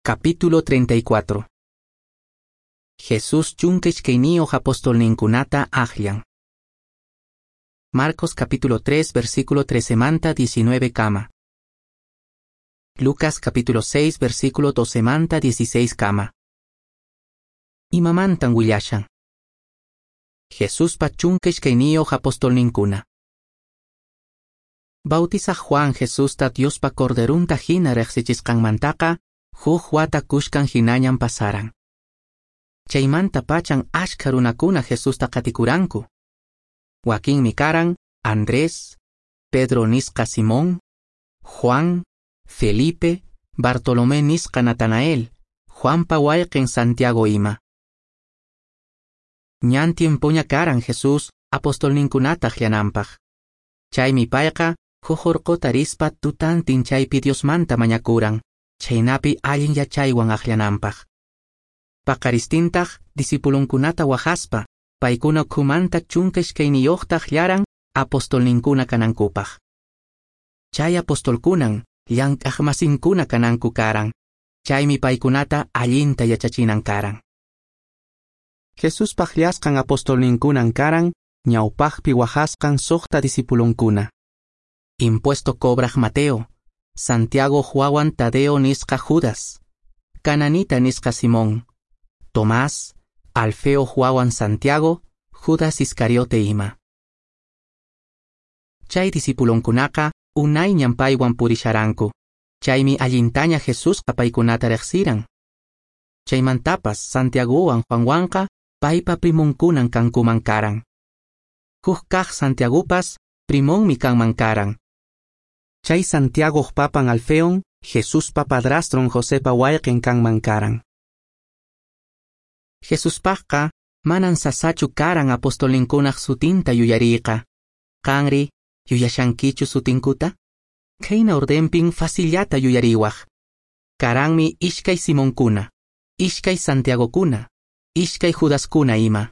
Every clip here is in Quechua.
Capítulo 34. Jesús chunka iskayniyuq apostolninkunata akllan. Marcos capítulo 3 versículo 13 manta 19 kama. Lucas capítulo 6 versículo 12 manta 16 kama. Imamantan willashan. Jesuspa chunka iskayniyuq apostolninkuna. Bautizaq Juan Jesusta Diospa Corderunta hina riqsichisqanmantaqa huk wata kushkan hinañan pasaran. Chaymanta pachan ashkha runakuna Jesusta qatikuranku. Wakinmi karan Andrés, Pedro nisqa Simón, Juan, Felipe, Bartolomé nisqa Natanael, Juanpa wayqin Santiago ima. Ñan tiempoña karan Jesús apostolninkunata akllananpaq. Chaymi payqa huk urquta rispa tutantin chaypi Diosmanta mañakuran, chhaynapi allin yachaywan akllananpaq. Paqaristintaq discipulunkunata waqaspa, paykuna ukhumanta 12 akllaran apostolninkuna kanankupaq. Chay apostolkunan llank'aqmasinkuna kananku karan, chaymi paykunata allinta yachachinan karan. Jesuspa akllasqan apostolninkunan karan ñawpaqpi waqasqan 6 discipulunkuna. Impuesto cobraq Mateo, Santiago wawan Tadeo nisqa Judas, Cananita nisqa Simón, Tomás, Alfeo wawan Santiago, Judas Iscariote ima. Chay discipulunkunaqa unayñan paywan purisharanku, chaymi allintaña Jesusqa paykunata riqsiran. Chaymantapas Santiagowan Juanwanqa paypa primunkunan kankuman karan. Huk kaq Santiagopas primonmi kanman karan. Chay Santiagoq papan Alfeon, Jesuspa padrastron Josepa wayqin kanman karan. Jesuspaqqa manan sasachu karan apostolninkunaq sutinta yuyariyqa. Qanri, yuyashankichu sutinkuta? Khayna ordenpin facillata yuyariwaq. Karanmi ishkay Simonkuna, ishkay Santiagokuna, ishkay Judaskuna ima.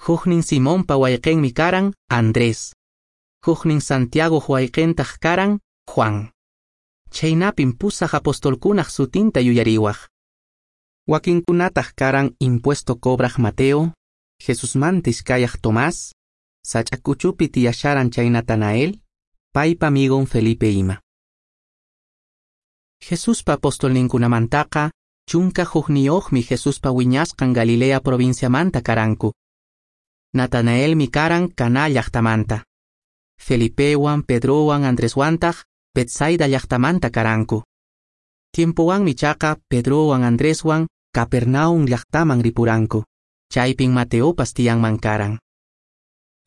Huknin Simonpa wayqinmi karan Andrés. Huknin Santiagoq wayqintaq karan Juan. Chaynapin pusaq apostolkunaq sutinta yuyariwaq. Wakinkunataq karan impuesto cobraq Mateo, Jesusmanta iskayaq Tomás, sach'a kuchupi tiyasharan chay Natanael, paypa amigon Felipe ima. Jesuspa apostolninkunamantaqa 11 Jesuspa wiñasqan Galilea provinciamanta karanku. Natanaelmi karan Caná llaqtamanta. Felipewan, Pedrowan, Andreswantaq Betsaida llaqtamanta karanku. Tiempowanmi chaqa Pedrowan, Andreswan Capernaum llaqtaman ripuranku. Chaypin Mateopas tiyanman karan.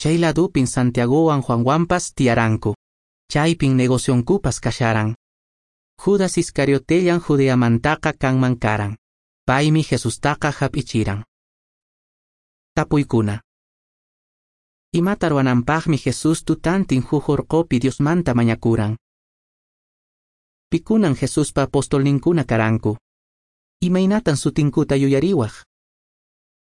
Chay ladupin Santiagowan Juanwanpas tiyaranku. Chaypin negocionkupas kasharan. Judas Iscariotellan Judeamantaqa kanman karan. Paymi Jesustaqa hap'ichiran. Tapuykuna. Imata ruwananpaqmi Jesús tutantin huk urqupi Diosmanta mañakuran. Pikunan Jesuspa apostolninkuna karanku. Imaynatan sutinkuta yuyariwaq?